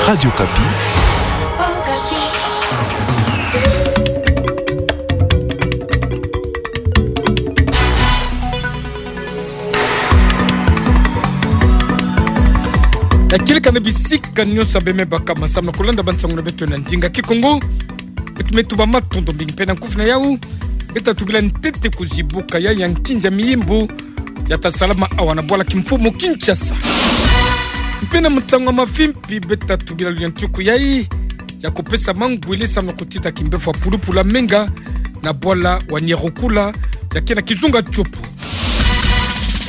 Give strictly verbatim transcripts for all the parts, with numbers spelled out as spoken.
Radio Okapi. Ya kieleka na bisika nyonso bê me baka ma samu na kulanda bansangu na beto na ndinga Kikongo. Beto me tuba matondo mingi mpe na nkufi na yau. Beta tubila ntete kuzibuka ya ya nkinzi ya miyimbu ya ta salama awa na bwala kimfumu Kinshasa. Mpe na nsangu ya mavimpi beta tubila luyantiku yai ya kupesa mangwele samu na kutita kimbevo ya pulupulu ya menga na bwala wa Nyarukula ya ke na kizunga Tshopo.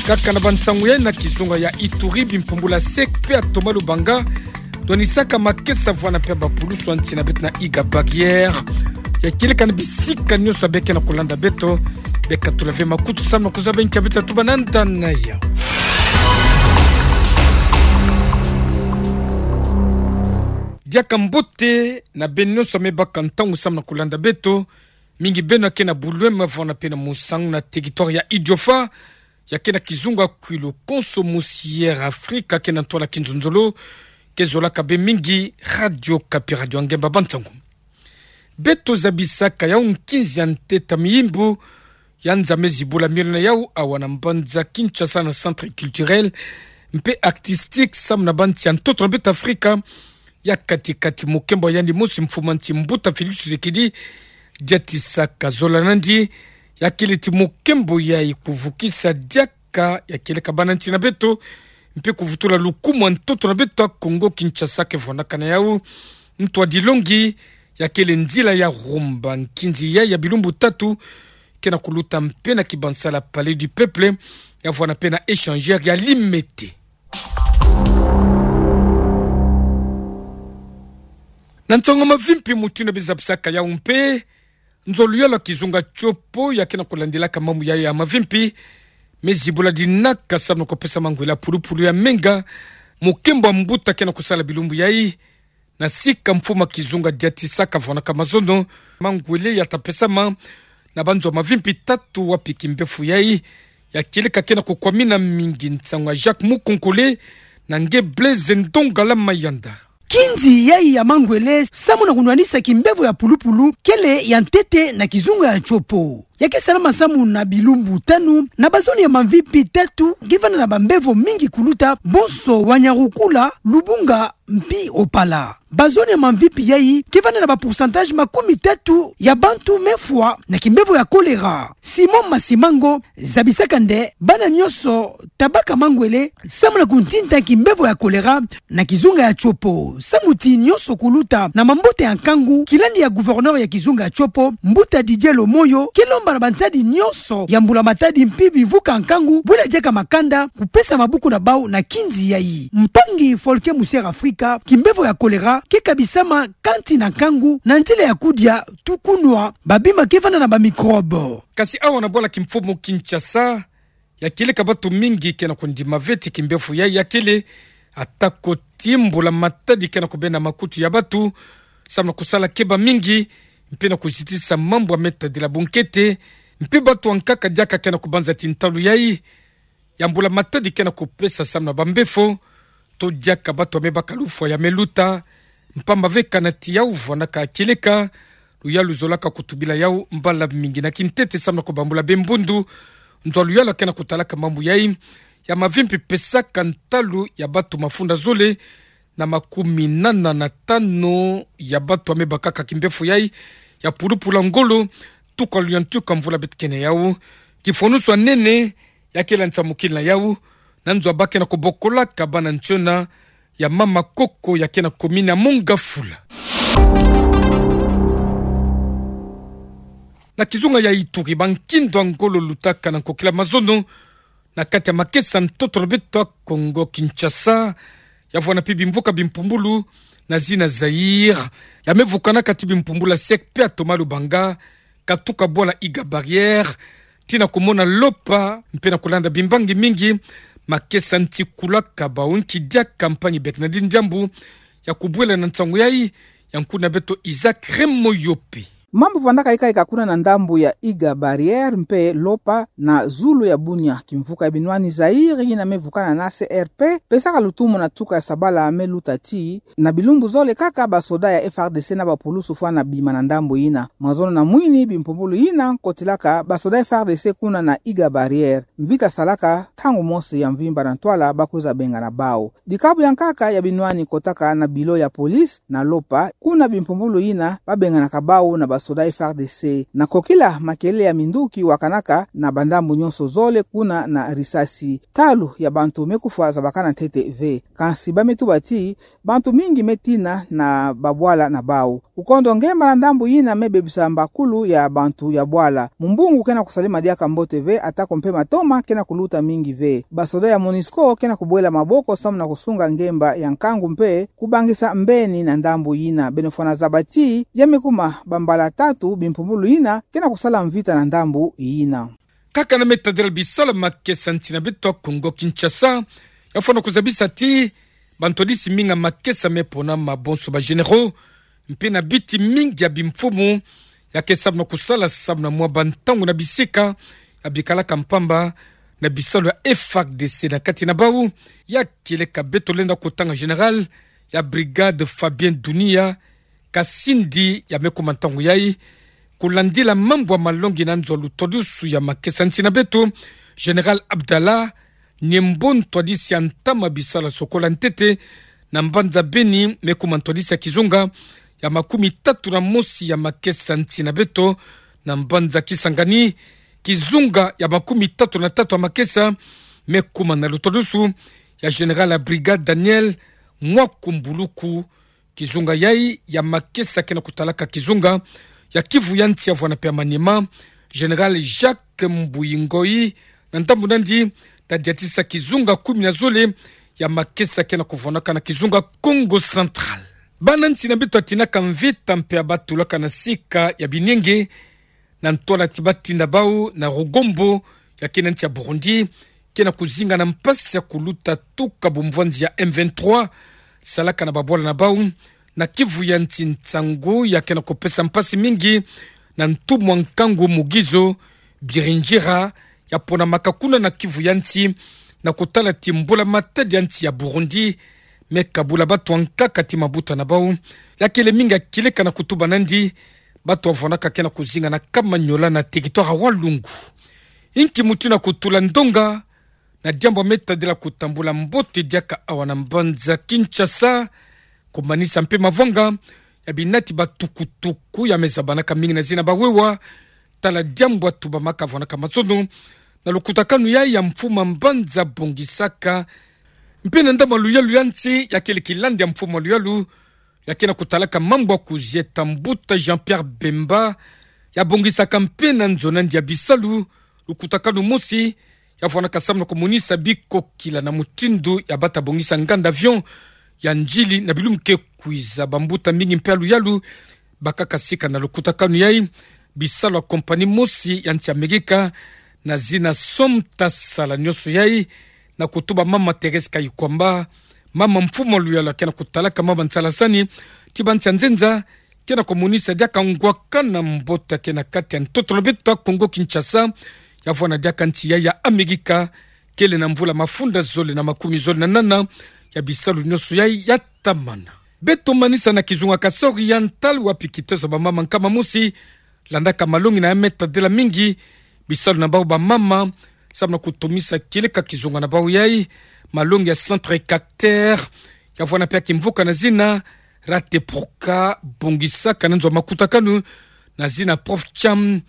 Kaka na bansangu yai na kizunga ya Ituri, bimpumbulu ya SEC mpe ya Thomas Lubanga ndwanisaka makesa vwanda mpe bapulusu ya nsi na beto na Iga Barrière. Ya kieleka na bisika nyonso bê ke na kulanda beto, beka tula ve makutu samu na kuzaba nki beta tuba na ndani ya yau. Diaka mbote na beno nyonso me baka ntangu samu na kulanda beto, mingi beno ya ke na Bouloum, vwanda mpe na Moussangou na territoire ya Idiofa, ya ke na kizunga Kouilou, konso musi Air Afrika ke na ntwala kinzonzolo, ke zolaka bê mingi Radio Okapi, radio ya ngemba bansangu. Beto zabisaka yau nkinzi ya ntete ya miyimbu ya nza me zibula miole na yau awa na mbanza Kinshasa na centre culturel mpe artistique samu na bansi ya ntoto na beto Afrika, ya kati-kati mokembo ya yandi mosi mfumu a nsi mbuta Félix Tshisekedi diatisaka zola nandi, ya kele ti mokembo yai kuvukisa diaka ya kieleka bana nsi na beto, mpe kuvutula lukumu ya ntoto na beto ya Kongo Kinshasa ke vwandaka na yau ntu a dilongi, ya kele nzila ya rumba nkinzi yai ya bilumbu tatu, ke na kuluta mpe na kibansala Palais du Peuple, ya vwanda mpe na échangeur ya Limete. Na nsangu ya mavimpi mutindu bê zabisaka yau mpe, nzo ya luyalu ya kizunga Tshopo ya ke na kulandilaka mambu yai ya mavimpi me zibula dinaka samu na kupesa mangwele ya pulupulu ya menga, mokembo ya mbuta ke na kusala bilumbu yai, na sika mfumu a kizunga diatisaka vwandaka mazono, mangwele ya ta pesama na banzo ya mavimpi tatu wapi kimbevo yai ya kieleka ke na kukwamina mingi. Nsangu ya Jacques Mukonkole na nge Blaise Ndongala Mayanda. Nkinzi yai ya mangwele samu na kunwanisa kimbevo ya pulupulu kele ya ntete na kizunga ya Tshopo. Ya ke salama samu na bilumbu tanu na bazone ya mavimpi tatu ke vanda na bambevo mingi kuluta, bonso wa Nyarukula, Lubunga mpi Opala. Bazone ya mavimpi yai ke vanda na ba pourcentage makumi tatu ya bantu me fwa na kimbevo ya choléra. Simon Masimango zabisaka nde bana nyonso ta baka mangwele samu na kuntinda kimbevo ya choléra na kizunga ya Tshopo. Samu ti nyonso kuluta na mabota ya nkangu, kilandi ya gouverneur ya kizunga ya Tshopo, mbuta Didier Lomoyo, ke lomba na bansadi nyonso ya mbula matadi mpi bimvuka ya nkangu bwela diaka makanda kupesa mabuku na bau na nkinzi yai. Mpangi Folke musi Air Afrika, kimbevo ya choléra ke kabisama kansi na nkangu na nzila ya kudia, tukunwa babima ke vanda na ba microbe. Kasi awa na bwala kimfumu Kinshasa, ya kieleka batu mingi ke na kundima ve ti kimbevo yai ya kele, ata ko ti mbula matadi ke na kubenda makutu ya batu samu na kusala keba mingi, mpe na kuzitisa mambu ya me tadila bunkete, mpe batu ya nkaka diaka ke na kubanza ti ntalu yai ya mbula matadi ke na kupesa samu na bambevo, to diaka batu ya me baka lufwa ya me luta, mpamba ve kana ti yau vwandaka kieleka, luyalu zolaka kutubila yau mbala mingi. Na kintete samu na kubambula bê mbundu, nzo ya luyalu ya ke na kutalaka mambu yai ya mavimpi pesaka ntalu ya batu mafunda zole na makumi nana na tanu ya batu ya me bakaka kimbevo yai ya pulupulu ya ngolo, tuka luyantiku ya mvula beto ke na yau. Kifwanusu ya nene ya kele nsamukila na yau na nzo ya ba ke na kubokolaka bana ntiona ya Mama Koko ya ke na commune ya Mont-Ngafula. Na kizunga ya Ituri, bankindo ya ngolo lutaka na nkokila mazono na kati ya makesa ntoto na beto ya Kongo Kinshasa, ya vwanda mpi bimvuka bimpumbulu na zina Zaïre, ya me vukanaka ti bimpumbulu ya SEC mpe ya Thomas Lubanga, katuka bwala Iga Barrière, tii na kumona lopa, mpe na kulanda bimbangi mingi, makesa nti kulaka bau. Nki diaka mpangi Bernardine Diambu ya kubwela na nsangu yai, ya nkuna beto Isaac Remoyope. Mambu vandaka ikaika kuna na ndambu ya Iga Barrière mpe Lopa na zulu ya Bunia, kimvuka ya binwani Zaïre yina me vukana na C R P, pesaka lutumu na tuka ya sabala me luta ti, na bilumbu zole kaka basoda ya F A R D C na bapulusu fwana bima na ndambu yina. Mazono na mwini bimpumbulu yina kotilaka basoda F A R D C kuna na Iga Barrière. Mvita salaka ntangu mosi ya mvimba na ntwala ba kwiza bengana bau. Dikabu ya nkaka ya binwani kotaka na bilo ya police na Lopa, kuna bimpumbulu yina babenganaka bau na basoda F A R D C. Na kokila makelele ya minduki wakanaka na bandambu nyonso zole kuna na risasi. Talu ya bantu me kufwa zabakana ntete ve. Kansi ba me tuba ti, bantu mingi me tina na babwala na bau. Kukondo ngemba na ndambu yina me bebisa mbakulu ya bantu ya bwala. Mumbungu ke na kusalema diaka mbote ve, atako mpe matoma ke na kuluta mingi ve. Basoda ya MONUSCO ke na kubwela maboko samu na kusunga ngemba ya nkangu mpe kubangisa mbeni na ndambu yina. Beno fwana zaba ti, ya me kuma bambala tatu bimpumbulu yina ke na kusala mvita na ndambu yina. Kaka na me tadila bisalu ya makesa nsi na beto ya Kongo Kinshasa, ya fwana kuzabisa ti, bantwadisi mingi ya makesa me pona mabonso ba généraux, mpe na biti mingi ya bimfumu, ya ke samu na kusala samu na mwa bantangu na bisika ya bikalaka mpamba na bisalu ya F A R D C na kati na bau. Ya kieleka beto lenda kutanga général ya brigade Fabien Dunia Kasindi ya me kuma ntangu yai, kulandila mambu ya malongi na nzo ya lutwadusu ya makesa nsi na beto, général Abdallah Niembo, ntwadisi ya ntama bisalu ya sokola ntete na mbanza Beni, me kuma ntwadisi ya kizunga ya makumi tatu na mosi ya makesa nsi na beto na mbanza Kisangani, kizunga ya makumi tatu na tatu ya makesa me kuma na lutwadusu ya général ya brigade Daniel Mwakumbuluku. Kizunga yai ya makesa ke na kutalaka kizunga ya Kivu ya nsi ya vwana mpe ya Maniema, général Jacques Mbuyi Ngoyi, na ndambu nandi, tadiatisa kizunga kumi na zole ya makesa ke na kuvwanaka na kizunga Kongo Central. Bana nsi na beto ya tinaka mvita mpe ya batulaka na sika ya binenge, na ntwala ti batinda bau na Rugombo, ya ke na nsi ya Burundi, ke na kuzinga na mpasi ya kuluta tuka bumvwanzi ya M vingt-trois salaka na babwala na bau na Kivu ya nsi, nsangu ya ke na kupesa mpasi mingi na ntumwa nkangu Mugizo Birinjira, ya ponamaka kuna na Kivu ya nsi, na kutala ti mbula-matadi ya nsi ya Burundi me kabula bato ya nkaka ti mabuta na bau. Ya kele mingi ya kieleka na kutuba nandi, bato ya vwanaka ke na kuzinga na Kamanyola na territoire ya Walungu. Inki mutindu ya kutula ndonga na diambu ya me tadila kutambula mbote diaka awa na mbanza Kinshasa, kumanisa mpe mavanga ya binati batukutuku ya me zabanaka mingi na zina bawewa, tala diambu ya tubamaka vwanaka mazono na lukutakanu yai ya mfumu ya mbanza bongisaka mpe na ndambu ya luyalu ya nsi, ya kele kilandi ya mfumu ya luyalu ya ke na kutalaka mambu ya kuzieta, mbuta Jean-Pierre Bemba, ya bongisaka mpe na nzo nandi ya bisalu lukutakanu mosi ya vwanaka samu na kumonisa bikokila na mutindu ya bata bongisa nganda avion ya ndjili na bilumbu ke kwiza. Bambuta mingi mpe ya luyalu bakaka sika na lukutakanu yai. Bisalu ya compagnie mosi ya nsi Amerika na zina Somta sala nyonso yai, na kutuba mama Thérèse Kayikwamba, mama mfumu ya luyalu ya ke na kutalaka mama nsalasani ti bansi ya nzenza, ke na kumonisa diaka ngwakana mbote ya ke na kati ya ntoto na beto ya Kongo Kinshasa, ya vwana diaka nsi yai ya Amerika kele na mvula mafunda zole na makumi zole na nana ya bisalu nyonso yai ya tamana. Beto manisa na kizunga Kasai Oriental, wapi kiteso ya bamama nkama mosi landaka malongi na ya me tadila mingi bisalu na bau bamama, samu na kutomisa kieleka kizunga na bau yai, malongi ya Centre Cacter, ya vwana mpe ya kimvuka na zina Rateproca, bongisaka na nzo ya makutakanu na zina Prof Cham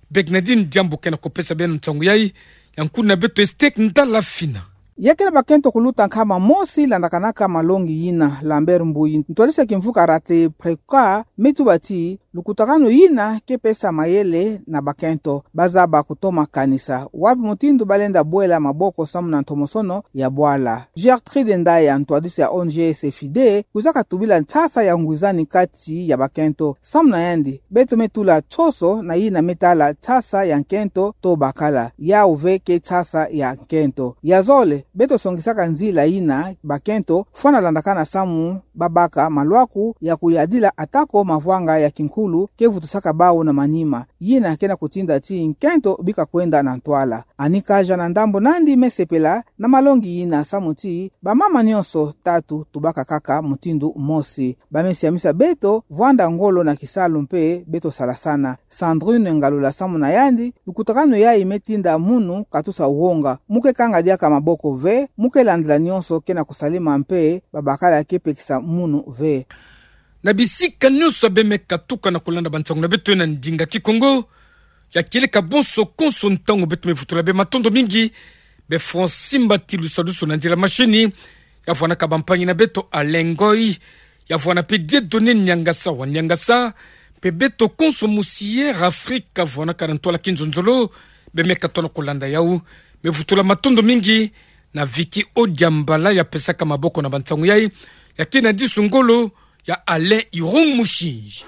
Begnadine. Diambu ke na kupesa beno nsangu yai, ya nkuna beto Estek Ndala Fina. Ya kele bakento kuluta nkama mosi landakanaka malongi yina, Lambert Mbuyi, ntwadisi ya kimvuka Rateproca, me tuba ti, lukutakanu yina ke pesa mayele na bakento, bazaba kutoma kanisa wapi mutindu balenda bwela maboko samu na ntomosono ya bwala. Gertrude Ndaya, ntwadisi ya O N G Sefide, kwizaka tubila nsasa ya ngwizani kati ya bakento. Samu na yandi, beto me tula nsoso na yina me tala nsasa ya nkento to bakala, yau ve ke nsasa ya nkento. Ya zole, beto songisaka nzila yina bakento fwana landakana samu babaka malwaku ya kuyadila atako mavwanga ya kinkulu ke vutusaka bawu na manima. Yina ke na kutinda ti nkento bika kwenda na ntwala. Ani kaja na ndambo nandi mesepela na malongi yina samu ti bamama nionso tatu tubaka kaka mutindu mosi. Bamesiamisa beto vwanda ngolo na kisalu mpe beto salasana. Sandrine Ngalula samu na yandi, lukutakanu yayi metinda munu katusa wonga. Mu ke kanga diaka maboko ve, mu ke landila nionso ke na kusalema mpe babakala ke pekisa munu ve. Na bisika nionso ya bemeka katuka na kulanda bansangu na beto na ndinga Kikongo, ya kieleka bonso konso ntangu beto mevutula bê matondo mingi, bê Francine Mbati Lusalusu na nzila mashini, ya vwanaka bampangi na beto Alain Ngoy, ya vwana mpe Dieudonné Niangasa wa Niangasa, mpe beto konso musi Air Afrique, vwanaka na ntwala kinzonzolo, bemeka tona kulanda yau. Mevutula matondo mingi na Vicky Odiambala ya pesaka maboko na bansangu yayi, ya kina disu ngolo ya Alain Irung Mushinji.